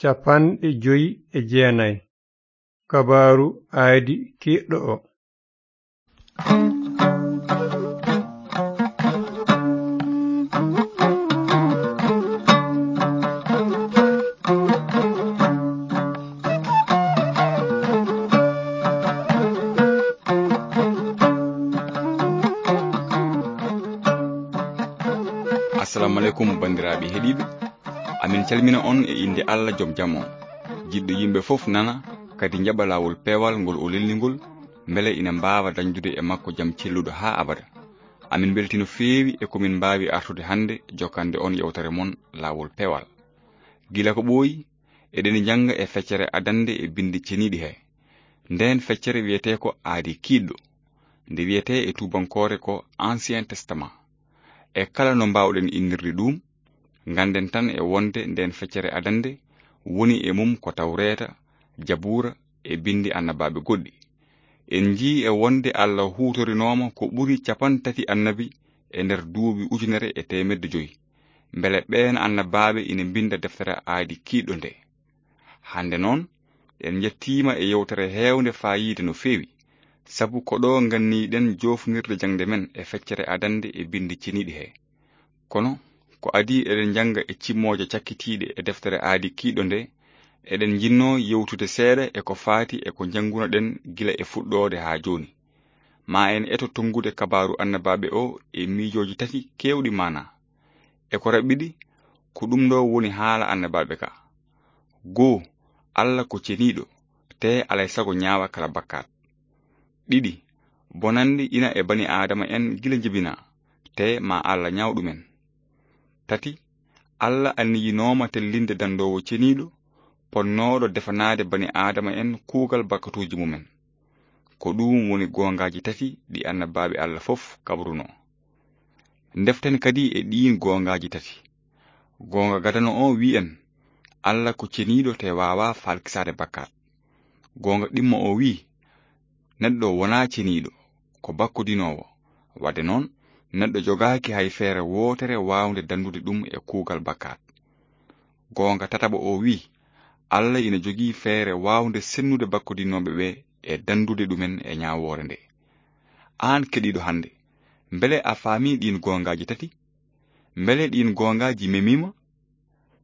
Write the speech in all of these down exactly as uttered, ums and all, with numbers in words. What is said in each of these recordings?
Cappanɗe joyi e jeenayi. Kabaaru aadi kiiɗɗo o. Assalamu aleykum, banndiraaɓe heɗiiɓe. Amin calmina on e innde Allah, Joom jam on, jiɗɗo yimɓe fof nana, kadi njaɓa laawol peewal ngol o lelni ngol, mbele ina mbaawa dañdude e makko jam celluɗo haa abada. Amin mbeltii no feewi e ko min mbaawi artude hannde jokkande on yewtere mon Laawol Peewal. Gila ko ɓooyi, eɗen njannga e feccere adannde e binndi ceniiɗi he. Ndeen feccere wiyetee ko Aadi Kiiɗɗo, nde wiyetee e tuubankoore ko Ancien Testament. E kala no mbaawɗen innirde ɗum, ngannden tan e wonde ndeen feccere adannde woni e mum ko Tawreeta, Jabuura e binndi annabaaɓe goɗɗi. En njii e wonde Allah huutorinooma ko ɓuri cappanɗe tati annabi e nder duuɓi ujunere e teemedde joyi, mbele ɓeen annabaaɓe ina mbinnda deftere Aadi Kiiɗɗo nde. Hannde noon, en njettiima e yewtere heewnde faayiida no feewi, sabu ko ɗo nganniiɗen joofnirde jaŋde men e feccere adannde e binndi ceniiɗi he. Kono, ko adii eɗen njannga e cimmooje cakkitiiɗe e deftere Aadi Kiiɗɗo nde, eɗen njinnoo yewtude seeɗa e ko faati e ko njanngunoɗen gila e fuɗɗoode haa jooni. Ma en eto tonngude kabaaru annabaaɓe o e miijooji tati keewɗi maanaa. E ko raɓɓiɗi, ko ɗum ɗo woni haala annabaaɓe ka. Goo, Allah ko ceniiɗo, tee alay sago ñaawa kala bakkaat. Ɗiɗi, bonannde ina e bani Aadama en gila njibinaa, tee ma Allah ñaaw ɗumen. Tati, Allah anniyinooma tellinde danndoowo ceniiɗo, ponnooɗo defanaade bani Aadama en kuugal bakkatuuji mumen. Ko ɗuum woni goongaaji tati ɗi annabaaɓe Allah fof kabrunoo. Ndeften kadi e ɗiin goongaaji tati. Goonga gadano o wi'i en, Allah ko ceniiɗo te waawaa falkisaade bakkaat. Goonga ɗimmo o wi'i, neɗɗo wonaa ceniiɗo, ko bakkodinoowo. Waɗde noon, neɗɗo jogaaki hay feere wootere waawnde danndude ɗum e kuugal bakkaat. Goonga tataɓo o wi'i, Allah ina jogii feere waawnde sennude bakkodinooɓe ɓe e danndude ɗumen e ñaawoore nde. Aan keɗiiɗo hannde, mbele a faamii ɗiin goongaaji tati? Mbele ɗiin goongaaji memiima?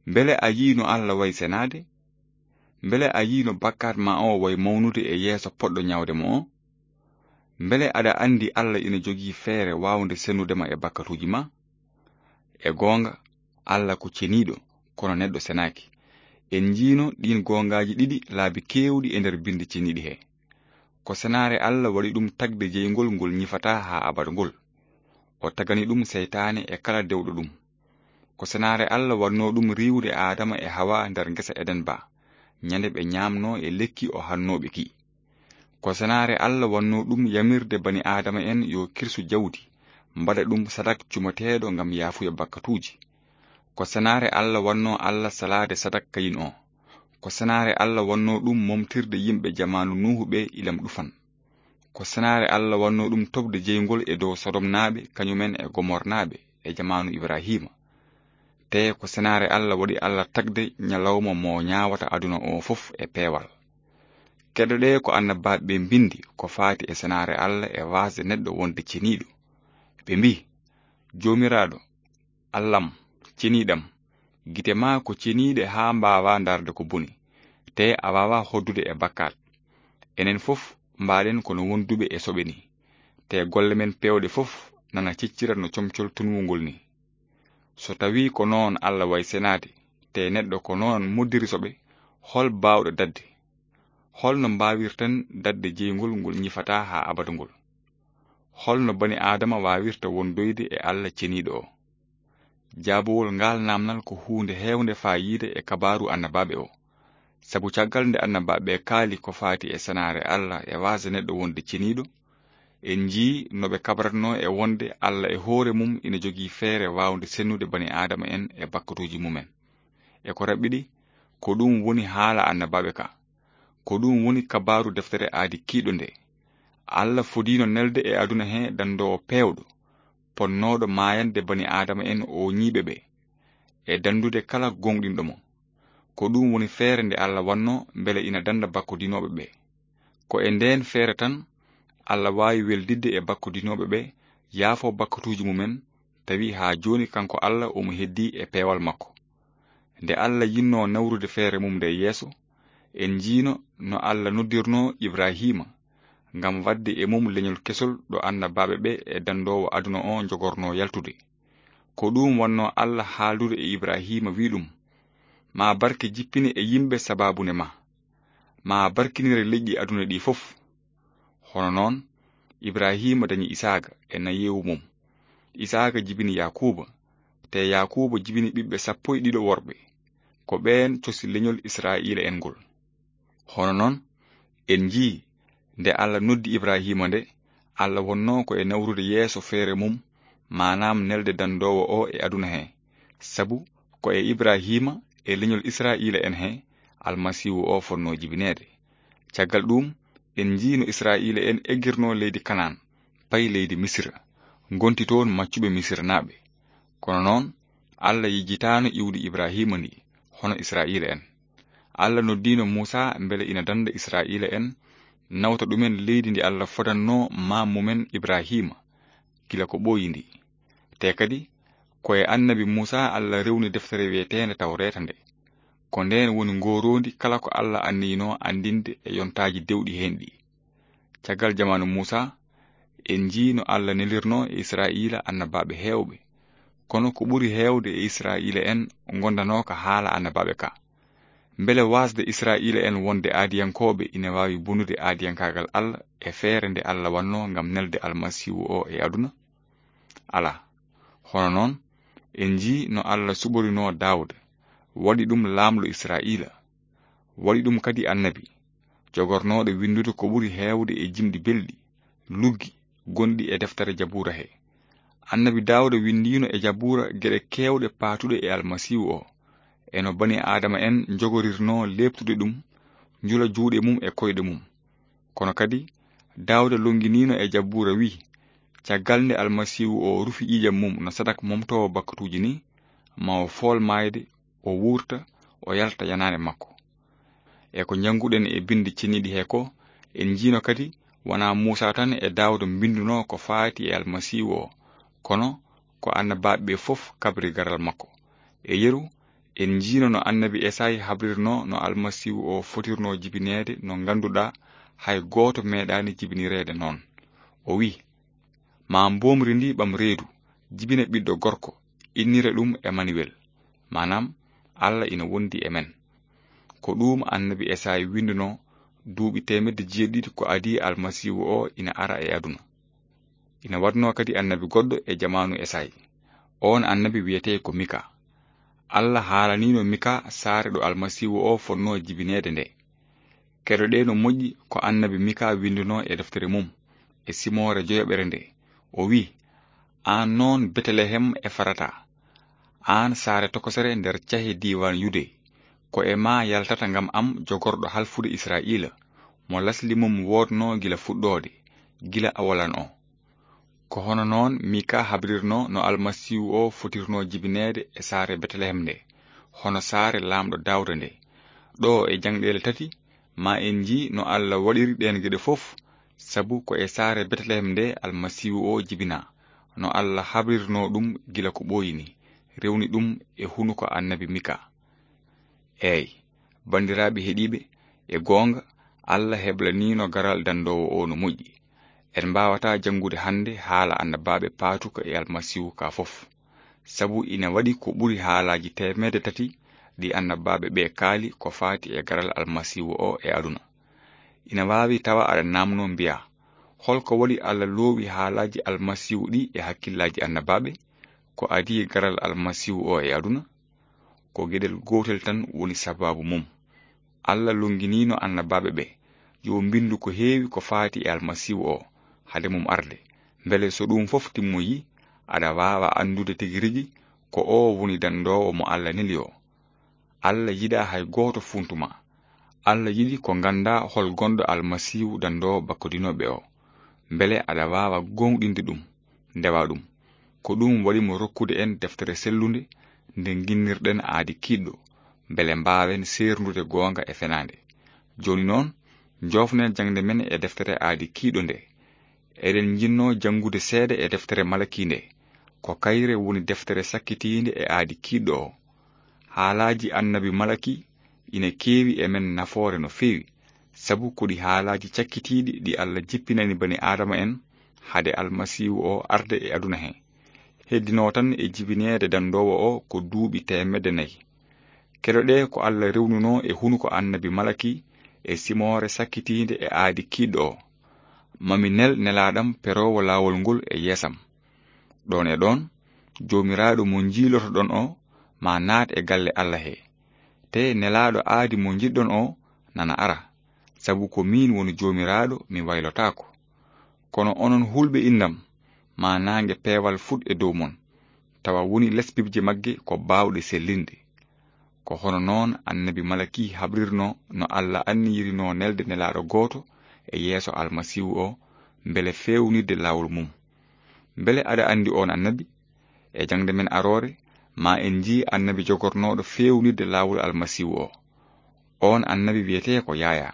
Mbele a yii no Allah wayi senaade? Mbele a yii no bakkaat ma o wayi mawnude e yeeso poɗɗo ñaawde mo o? Mbele aɗa anndi Allah ina jogii feere waawnde sennude ma e bakkatuuji ma? E goonga, Allah ko ceniiɗo, kono neɗɗo senaaki. En njiino ɗiin goongaaji ɗiɗi laabi keewɗi e nder binndi ceniiɗi he. Ko senaare Allah waɗi ɗum tagde jeyngol ngol ñifataa haa abada ngol. O tagani ɗum seytaane e kala dewɗo ɗum. Ko senaare Allah wannoo ɗum riiwde Aadama e Hawa nder ngesa Eden ba, ñande ɓe ñaamnoo e lekki o hannooɓe ki. Ko senaare Allah wannoo ɗum yamirde bani Aadama en yo kirsu jawdi, mbaɗa ɗum sadak cumateeɗo ngam yaafuya bakkatuuji. Ko senaare Allah wannoo Allah salaade sadak Kayin o. Ko senaare Allah wannoo ɗum momtirde yimɓe jamaanu Nuuhu ɓe ilam ɗufan. Ko senaare Allah wannoo ɗum toɓde jeyngol e dow Sodomnaaɓe, kañumen e Gomornaaɓe, e jamaanu Ibrahiima. Tee ko senaare Allah waɗi Allah tagde ñalawma mo ñaawata aduna o fof e peewal. Keɗoɗee ko annabaaɓe ɓe mbinndi ko faati e senaare Allah e waasde neɗɗo wonde ceniiɗo. Ɓe mbii, Joomiraaɗo, Allah'am, ceniiɗam, gite maa ko ceniiɗe haa mbaawaa ndaarde ko boni, tee a waawaa hoɗdude e bakkaat. Enen fof mbaaɗen kono wonduɓe e soɓe ni, tee golle men peewɗe fof nana ciccira no comcol tunwungol ni. So tawii ko noon Allah wayi senaade, tee neɗɗo ko noon moddiri soɓe, hol baawɗo daɗde? Hol no mbaawirten daɗde jeyngol ngol ñifataa haa abada ngol? Hol no bani Aadama waawirta wondoyde e Allah ceniiɗo o? Jaabowol ngaal naamnal ko huunde heewnde faayiida e kabaaru annabaaɓe o. Sabu caggal nde annabaaɓe ɓe kaali ko faati e senaare Allah e waasde neɗɗo wonde ceniiɗo, en njii no ɓe kabratnoo e wonde Allah e hoore mum ina jogii feere waawnde sennude bani Aadama en e bakkatuuji mumen. E ko raɓɓiɗi, ko ɗum woni haala annabaaɓe ka. Ko ɗum woni kabaaru deftere Aadi Kiiɗɗo nde. Allah fodiino nelde e aduna he danndoowo peewɗo, ponnooɗo maayande bani Aadama en o ñiiɓe ɓe, e danndude kala gooŋɗinɗo mo. Ko ɗum woni feere nde Allah wanno mbele ina danda bakkodinooɓe ɓe. Ko e ndeen feere tan Allah waawi weldidde e bakkodinooɓe ɓe, yaafo bakkatuuji mumen, tawi haa jooni kanko Allah omo heddii e peewal makko. Nde Allah yinnoo nawrude feere mum nde yeeso, en njiino no Allah noddirnoo Ibraahiima ngam waɗde e mum leñol kesol ɗo annabaaɓe ɓe e dandoowo aduna o njogornoo yaltude. Ko ɗum wannoo Allah haaldude e Ibraahiima, wi' ɗum: "Ma barke jippine e yimɓe sabaabu ne ma. Ma barkinire leƴƴi aduna ɗi fof." Hono noon, Ibraahiima dañi Isaaqa e nayeewu mum. Isaaqa jibini Yaakuuba, te Yaakuuba jibini ɓiɓɓe sappo e ɗiɗo worɓe. Ko ɓeen cosi leñol Israa'iila'en ngol. Hono noon, en njii, nde Allah noddi Ibraahiima nde, Allah wonnoo ko e nawrude yeeso feere mum, maanaam nelde dandoowo o e aduna he. Sabu ko e Ibraahiima e leñol Israa'iila'en he Almasiihu o fotnoo jibineede. Caggal ɗum, en njii no Israa'iila'en eggirnoo leydi Kanaan, payi leydi Misira, ngonti toon maccuɓe Misiranaaɓe. Kono noon, Allah yejjitaano iwdi Ibraahiima ndi, hono Israa'iila'en. Allah noddiino Muusaa mbele ina danda Israa'iila'en, nawta ɗumen leydi ndi Allah fodannoo maam mumen Ibraahiima, gila ko ɓooyi ndi. Te kadi, ko e annabi Muusaa Allah rewni deftere wiyeteende Tawreeta nde. Ko ndeen woni ngooroondi kala ko Allah anniyinoo anndinde e yontaaji dewɗi heen ɗi. Caggal jamaanu Muusaa, en njii no Allah nelirnoo e Israa'iila annabaaɓe heewɓe. Kono ko ɓuri heewde e Israa'iila'en ngondanooka haala annabaaɓe ka. Mbele waasde Israa'iila'en wonde aadiyankooɓe ina waawi bonude aadiyankaagal Allah e feere nde Allah wannoo ngam nelde Almasiihu o e aduna? Alaa. Hono noon, en njii no Allah suɓorinoo Daawda, waɗi ɗum laamɗo Israa'iila, waɗi ɗum kadi annabi, jogornooɗo winndude ko ɓuri heewde e jimɗi belɗi, luggi, gonɗi e deftere Jabuura he. Annabi Daawda winndiino e Jabuura geɗe keewɗe paatuɗe e Almasiihu o, e no bani Aadama en njogorirnoo leeptude ɗum, njula juuɗe mum e koyɗe mum. Kono kadi, Daawda lonnginiino e Jabuura, wi': "Caggal nde Almasiihu o rufi ƴiiƴam mum no sadak momtoowo bakkatuuji ni, ma o fool maayde, o wuurta, o yalta yanaande makko." E ko njannguɗen e Binndi Ceniiɗi he ko, en njiino kadi, wonaa Muusaa tan e Daawda mbinndunoo ko faati e Almasiihu o, kono ko annabaaɓe ɓe fof kabri garal makko. E yeru, en njiino no annabi Esay habrirnoo no Almasiihu o fotirnoo jibineede, no ngannduɗaa hay gooto meeɗaani jibinireede noon. O wi': "Ma mboomri ndi ɓam reedu, jibina ɓiɗɗo gorko, innira ɗum Emanuwel." Maanaam, Allah ina wondi e men. Ko ɗum annabi Esay winndunoo duuɓi teemedde jeeɗiɗi ko adii Almasiihu o ina ara e aduna. Ina waɗnoo kadi annabi goɗɗo e jamaanu Esay. Oon annabi wiyetee ko Mika. Allah haalaniino Mika saare ɗo Almasiihu o fotnoo jibineede nde. Keɗoɗee no moƴƴi ko annabi Mika winndunoo e deftere mum, e simoore joyaɓere nde. O wi': "Aan noon Betelehem Efrata, aan saare tokosere nder cahe diiwaan Yude, ko e maa yaltata ngam am jogorɗo halfude Israa'iila, mo lasli mum woodnoo gila fuɗɗoode, gila awalan o." Ko hono noon Mika habrirnoo no Almasiihu o fotirnoo jibineede e saare Betelehem nde, hono saare laamɗo Daawda nde. Ɗo e jaŋɗeele tati, ma en njii no Allah waɗiri ɗeen geɗe fof, sabu ko e saare Betelehem nde Almasiihu o jibinaa, no Allah habrirnoo ɗum gila ko ɓooyi ni, rewni ɗum e hunuko annabi Mika. Eey, banndiraaɓe heɗiiɓe, e goonga, Allah heblaniino garal dandoowo o no moƴƴi. En mbaawataa janngude hannde haala annabaaɓe paatuka e Almasiihu ka fof, sabu ina waɗi ko ɓuri haalaaji teemedde tati ɗi annabaaɓe ɓe kaali ko faati e garal Almasiihu o e aduna. Ina waawi tawa aɗa naamnoo mbiyaa: "Holko waɗi Allah loowi haalaaji Almasiihu ɗi e hakkillaaji annabaaɓe? Ko adii garal Almasiihu o e aduna?" Ko geɗel gootel tan woni sabaabu mum. Allah lonnginiino annabaaɓe ɓe yo mbinndu ko heewi ko faati e Almasiihu o, hade mum arde, mbele so ɗum fof timmoyii, aɗa waawa anndude tigi rigi ko o woni dandoowo mo Allah neli o. Allah yiɗaa hay gooto funtu ma. Allah yiɗi ko nganndaa hol gonɗo Almasiihu dandoowo bakkodinooɓe o, mbele aɗa waawa gooŋɗinde ɗum, ndewa ɗum. Ko ɗum waɗi mo rokkude en deftere sellunde, nde nginnirɗen aadi kiiɗɗo, mbele mbaawen seerndude goonga e fenaande. Jooni noon, njoofnen jaŋde men e deftere Aadi Kiiɗo nde. Eɗen njinnoo janngude seeɗa e deftere Malaki nde. Ko kayre woni deftere sakkitiinde e Aadi Kiiɗo o. Haalaaji Annabi Malaki ina keewi e men nafoore no feewi, sabu ko ɗi haalaaji cakkitiiɗi ɗi Alla jippinani bani Aadama en hade Almasiihu o arde e aduna he. Heddinoo tan e jibineede danndoowo o ko duuɓi teemedde nayi. Keɗoɗee ko Alla rewnunoo e hunuko Annabi Malaki e simoore sakkitiinde e Aadi Kiiɗo o. Mami nel nelaaɗam peroowo laawol ngol e yeesam. Ɗoon e ɗoon, Joomiraaɗo mo njiilotoɗon o ma naat e galle Alla he. Te nelaaɗo aadi mo njiɗɗon o nana ara, sabu ko miin woni Joomiraaɗo, mi waylotaako. Kono onon hulɓe innam, ma naange peewal fuɗ e dow mon, tawa woni lesbibje magge ko baawɗe sellinde. Ko hono noon Annabi Malaki habrirnoo no Alla anniyirinoo nelde nelaaɗo gooto e yeeso Almasiihu o, mbele feewnirde laawol mum. Mbele aɗa anndi oon Annabi? E jaŋde men aroore, ma en njii Annabi jogornooɗo feewnirde laawol Almasiihu o. Oon Annabi wiyetee ko Yaayaa.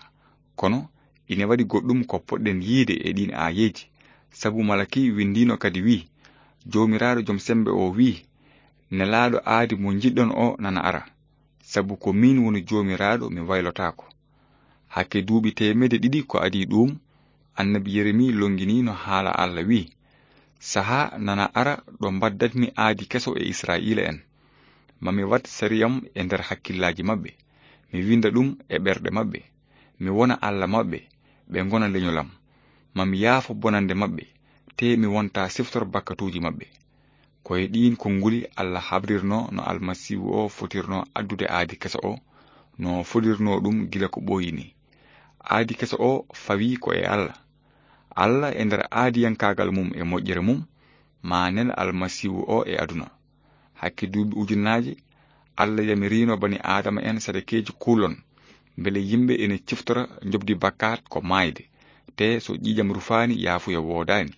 Kono ine waɗi goɗɗum ko poɗɗen yiyde e ɗiin aayeeji, sabu Malaki winndiino kadi wiyi, Joomiraaɗo Jom Semmbe o wiyi, nelaaɗo aadi mo njiɗɗon o nana ara, sabu ko miin woni Joomiraaɗo, mi waylotaako. Hakke duuɓi teemedde ɗiɗi ko adii ɗuum, Annabi Yeremi lonnginiino haala Alla wiyi, sahaa nana ara ɗo mbaddatmi aadi keso e Israa'iila en. Ma mi waɗ sariyam e nder hakkillaaji maɓɓe, mi winnda ɗum e ɓerɗe maɓɓe, mi wona Alla maɓɓe, ɓe ngona leñolam. Ma mi yaafo bonannde maɓɓe, te mi wonta siftor bakkatuuji maɓɓe. Ko e ɗiin konnguli Alla habrirnoo no Almasiihu o fotirnoo addude aadi keso o, no fodirnoo ɗum gila ko ɓooyi ni. Aadi keso o fawii ko e Alla. Alla e nder aadiyankaagal mum e moƴƴere mum, ma nel Almasiihu o e aduna. Hakke duuɓi ujunnaaje, Alla yamiriino bani Aadama en sadakeeji kuulon, mbele yimɓe ene ciftora njoɓdi bakkaat ko maayde, te so ƴiiƴam rufaani yaafuya woodaani.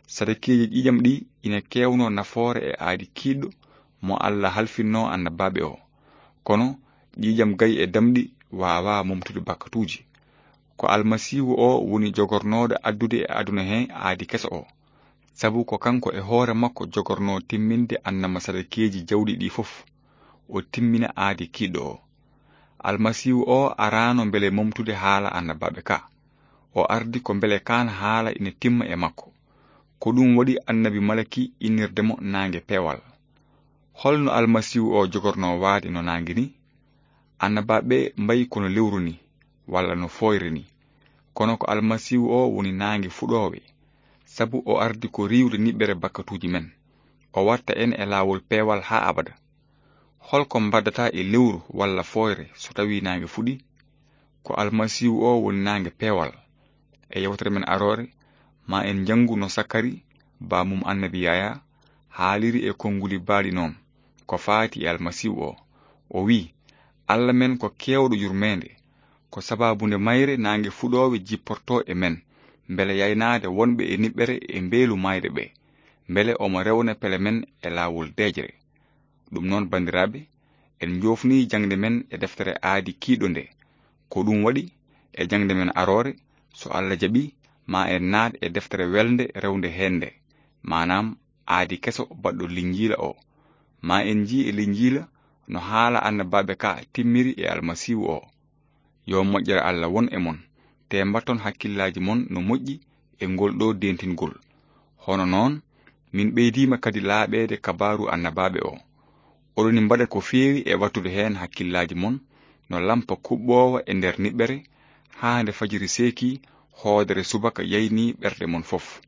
Sadakeeji ƴiiƴam ɗi ina keewnoo nafoore e aadi kiiɗɗo mo Alla halfinnoo annabaaɓe o. Kono ƴiiƴam gayi e damɗi waawaa momtude bakkatuuji. Ko Almasiihu o woni jogornooɗo addude e aduna he aadi keso o. Sabu ko kanko e hoore makko jogornoo timminde annama sadakeeji jawɗi ɗi fof. O timmina aadi kiiɗɗo o. Almasiihu o araano mbele momtude haala annabaaɓe ka. O ardi ko mbele kaan haala ina timma e makko. Ko ɗum waɗi annabi Malaki innirde mo naange peewal. Holno Almasiihu o jogornoo waade no naange ni? Annabaaɓe mbayi kono lewru ni, walla no fooyre ni. Kono ko Almasiihu o woni naange fuɗoowe, sabu o ardi ko riiwde niɓɓere bakkatuuji men. O watta en e laawol peewal haa abada. Holko mbaddata e lewru walla fooyre so tawii naange fuɗi? Ko Almasiihu o woni naange peewal. E yewtere men aroore, ma en njanngu no Sakari, baamum annabi Yaya, haaliri e konnguli baaɗi noon, ko faati e Almasiihu o. O wiyi, Alla men ko keewɗo yurmeende, ko sabaabu nde mayre naange fuɗoowe jipportoo e men, mbele yaynaade wonɓe e niɓɓere e mbeelu maayde ɓe, mbele omo rewna pele men e laawol deeƴre. Ɗum noon, banndiraaɓe, en njoofnii jaŋde men e deftere aadi kiiɗo nde. Ko ɗum waɗi, e jaŋde men aroore, so Alla jaɓi, ma en naat e deftere welnde rewnde heen nde, maanaam aadi keso baɗɗo Linjiila o. Ma en njii e Linjiila no haala annabaaɓe ka timmiri e Almasiihu o. Yo moƴƴere Alla won e mon, te mbatton hakkillaaji mon no moƴƴi e ngol ɗo dentingol. Hono noon, min ɓeydiima kadi laaɓeede kabaaru annabaaɓe o. Oɗoni mbaɗa ko feewi e wattude heen hakkillaaji mon no lampa kuɓɓoowa e nder niɓɓere, haa nde fajiri seeki hoodere subaka yayni ɓerɗe mon fof.